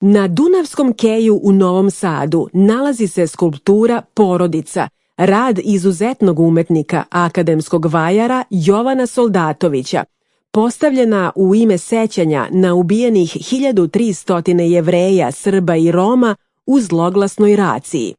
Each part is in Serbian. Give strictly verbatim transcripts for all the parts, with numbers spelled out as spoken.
Na Dunavskom keju u Novom Sadu nalazi se skulptura Porodica, rad izuzetnog umetnika, akademskog vajara Jovana Soldatovića, postavljena u ime sećanja na ubijenih hiljadu tristo Jevreja, Srba i Roma u zloglasnoj raciji.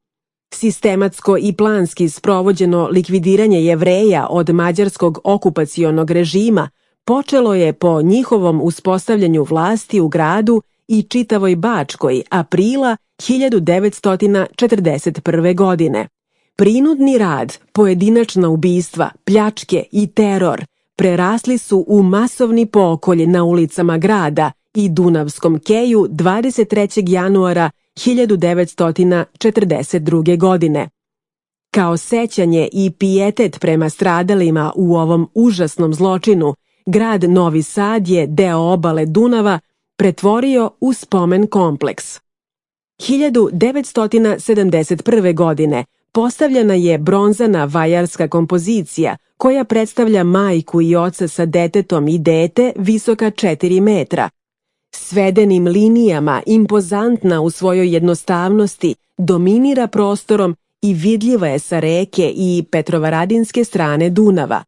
Sistematsko i planski sprovođeno likvidiranje Jevreja od mađarskog okupacionog režima počelo je po njihovom uspostavljanju vlasti u gradu i čitavoj Bačkoj aprila hiljadu devetsto četrdeset prve. godine. Prinudni rad, pojedinačna ubistva, pljačke i teror prerasli su u masovni pokolj na ulicama grada i Dunavskom keju dvadeset trećeg januara hiljadu devetsto četrdeset druge. godine. Kao sećanje i pijetet prema stradalima u ovom užasnom zločinu, grad Novi Sad je deo obale Dunava pretvorio u spomen kompleks. hiljadu devetsto sedamdeset prve. godine postavljena je bronzana vajarska kompozicija koja predstavlja majku i oca sa detetom i dete visoka četiri metra. Svedenim linijama, impozantna u svojoj jednostavnosti, dominira prostorom i vidljiva je sa reke i Petrovaradinske strane Dunava.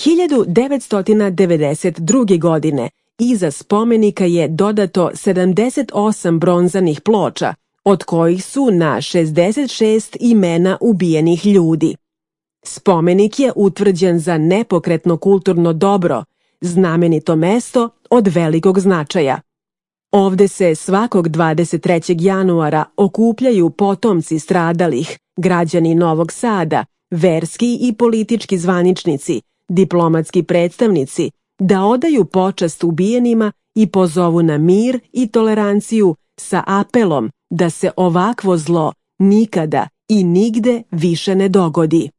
hiljadu devetsto devedeset druge. godine iza spomenika je dodato sedamdeset osam bronzanih ploča, od kojih su na šezdeset šest imena ubijenih ljudi. Spomenik je utvrđen za nepokretno kulturno dobro, znamenito mesto od velikog značaja. Ovde se svakog dvadeset trećeg januara okupljaju potomci stradalih, građani Novog Sada, verski i politički zvaničnici, diplomatski predstavnici, da odaju počast ubijenima i pozovu na mir i toleranciju sa apelom da se ovakvo zlo nikada i nigde više ne dogodi.